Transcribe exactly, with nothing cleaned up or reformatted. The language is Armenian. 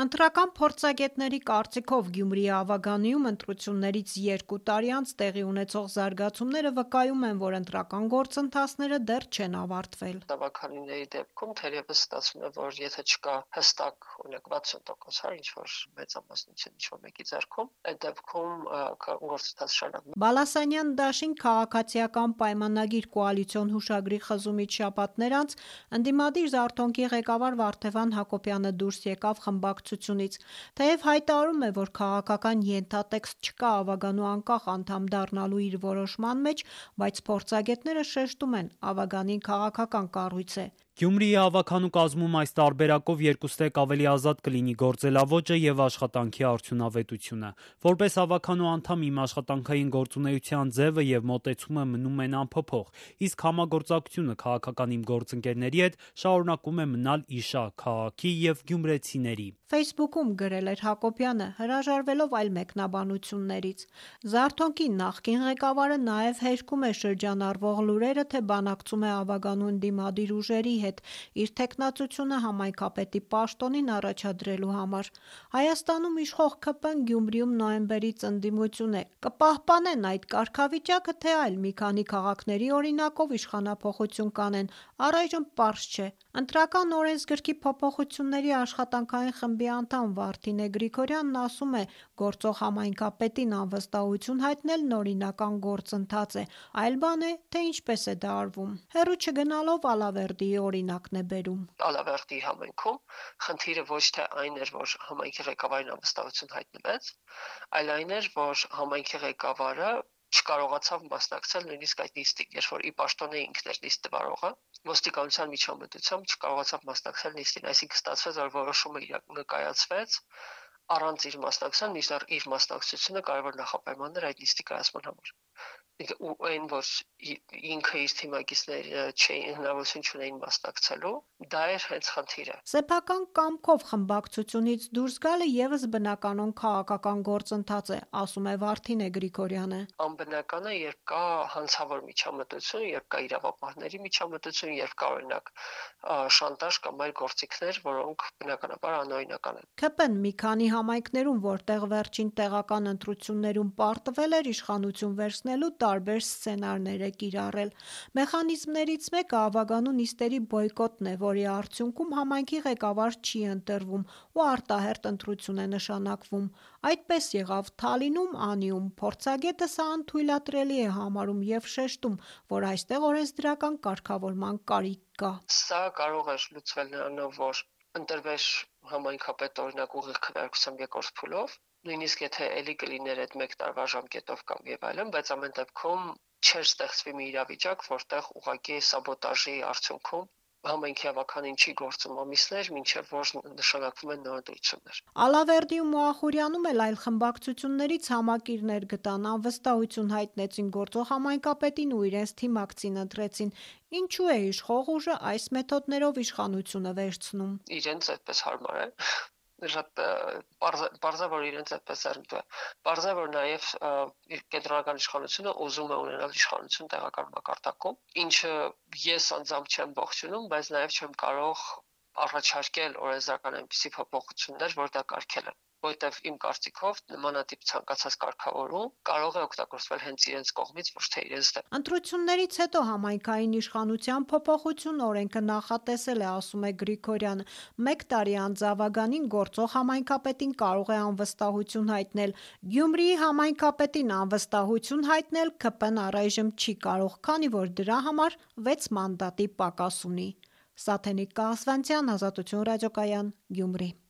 Ընտրական փորձագետների կարծիքով Գյումրիի Ավագանիում ընտրություններից երկու տարի անց տեղի ունեցող զարգացումները վկայում են, որ ընտրական գործընթացները դեռ չեն ավարտվել։ Ավագանիների դեպքում թերևս ստացվում է, որ եթե չկա հստակ օրինակ վաթսուն տոկոս հար ինչ-որ մեծամասնություն ինչ-որ մեկի ձեռքում, այդ դեպքում գործընթացը շարունակվում է։ Բալասանյան դաշին քաղաքացիական պայմանագիր կոալիցիոն հուշագրի խզումից շաբաթներ անց ընդդիմադիր «Զարթոնքի» ղեկավար Վարդևան Հակոբյանը դուրս եկավ խմբակցությունից։ Թեև հայտարարում է, որ քաղաքական ենթատեքստ չկա Ավագանու անկախ անդամ դառնալու իր որոշման մեջ, բայց փորձագետները շեշտում են՝ Ավագանին քաղաքական կառույց է։ Գյումրիի Ավագանու կազմում այս տարբերակով երկուստեք ավելի ազատ կլինի գործելաոճը եւ աշխատանքի արդյունավետությունը։ Որպես Ավագանու անդամ իմ աշխատանքային գործունեության ձևը եւ մոտեցումը մնում են անփոփոխ, իսկ համագործակցությունը քաղաքական իմ գործընկերների հետ շարունակում է մնալ իշա քաղաքի եւ գյումրեցիների։ Facebook-ում գրել էր Հակոբյանը, հրաժարվելով այլ մեկնաբանություններից։ «Զարթոնքի» նախկին ղեկավարը նաև հերքում է շրջանառվող լուրերը, թե բանակցում է Ավագանու ընդդիմադիր ուժերի հետ իր թեկնածությունը համայնքապետի պաշտոնին առաջադրելու համար։ Հայաստանում իշխող ՔՊ-ն Գյումրիում նոյեմբերից ընդդիմություն է։ Կպահպանեն այդ կարգավիճակը, թե այլ մի քանի քաղաքների օրինակով իշխանափոխություն կանեն, առայժմ պարզ չէ։ Ընտրական օրենսգրքի փոփոխությունների աշխատանքային խմբի անդամ Վարդինե Գրիգորյանն ասում է՝ գործող համայնքապետին անվստահություն հայտնելն օրինական գործընթաց է, այլ բան է, թե ինչպես է դա արվում։ Հեռու չգնալով Ալավերդիի օրինակն է բերում։ Ալավերդիի համայնքում խնդիրը ոչ թե այն էր, որ համայնքի ղեկավարին անվստահություն հայտնվեց, այլ այն էր, որ համայնքի ղեկավարը չկարողացավ մասնակցել նույնիսկ այդ նիստին, երբ որ ի պաշտոնե ինքն էր նիստ վարողը, ոստիկանության միջամտությամբ չկարողացավ մասնակցել նիստին, այսինքն ստացվեց, որ որոշումը ներկայացվեց առանց իր մասնակցության, մինչդեռ իր մասնակցությունը կարևոր նախապայմանն էր այդ նիստի կայացման համար։ Ու այն, որ ինքը իր թիմակիցները չէին հնարավորություն չունեին մասնակցելու, դա էր հենց խնդիրը։ Սեփական կամքով խմբակցությունից դուրս գալը եւս բնականon քաղաքական գործընթաց է, ասում է Վարդինե Գրիգորյանը։ Անբնական է, երբ կա հանցավոր միջամտություն, երբ կա իրավապահների միջամտություն, երբ կա օրինակ շանտաժ կամ այլ գործիքներ, որոնք բնականաբար անօրինական են։ ՔՊ-ն մի քանի համայնքներում, որտեղ վերջին տեղական ընտրություններում պարտվել էր իշխանություն վերցնելու, տարբեր սցենարներ է կիրառել։ Մեխանիզմներից մեկը Ավագանու նիստերի բոյկոտն է, որի արդյունքում համայնքի ղեկավար չի ընտրվում ու արտահերթ ընտրություն է նշանակվում։ Այդպես եղավ Թալինում, Անիում։ Փորձագետը սա անթույլատրելի է համարում եւ շեշտում, որ այստեղ օրենսդրական կարգավորման կարիք կա։ Սա կարող է լուծվել նրանով, որ ընտրվեր համայնքապետ օրինակ ուղիղ քվեարկությամբ երկրորդ փուլով, նույնիսկ եթե էլի կլիներ այդ մեկ տարվա ժամկետով կամ եւ այլն, բայց ամեն դեպքում չէր ստեղծվի մի իրավիճակ, որտեղ ուղղակի սաբոտաժի արդյունքում համայնքի ավականին չի գործում ամիսներ, մինչև որ նշանակվում են նոր ընտրություններ։ Ալավերդիում ու Ախուրյանում էլ այլ խմբակցություններից համակիրներ գտան, անվստահություն հայտնեցին գործող համայնքապետին ու իրենց թիմակցին ընտրեցին։ Ինչու է իշխող ուժը այս մեթոդներով իշխանությունը վերցնում։ Իրենց այդպես հարմար է։ Շատ պարզ է, որ իրենց այդպես է։ Պարզ է, որ նաև կենտրոնական իշխանությունը ուզում է ունենալ իշխանություն տեղական մակարդակում, ինչը ես անձամբ չեմ ողջունում, բայց նաև չեմ կարող առաջարկել օրենսդրական այնպիսի փոփոխություններ, որ դա կարգել են, որտեղ իմ կարծիքով նմանատիպ ցանկացած կարգավորում կարող է օգտագործվել հենց իրենց կողմից, ոչ թե իրենց դեմ։ Ընտրություններից հետո համայնքային իշխանության փոփոխություն օրենքը նախատեսել է, ասում է Գրիգորյանը։ Մեկ տարի անց Ավագանին գործող համայնքապետին կարող է անվստահություն հայտնել։ Գյումրիի համայնքապետին անվստահություն հայտնել ՔՊ-ն առայժմ չի կարող, քանի որ դրա համար վեց մանդատի պակաս ունի։ Սաթենիկ Կահասվանցյան, Ազատություն ռադիոկայան, Գյումրի։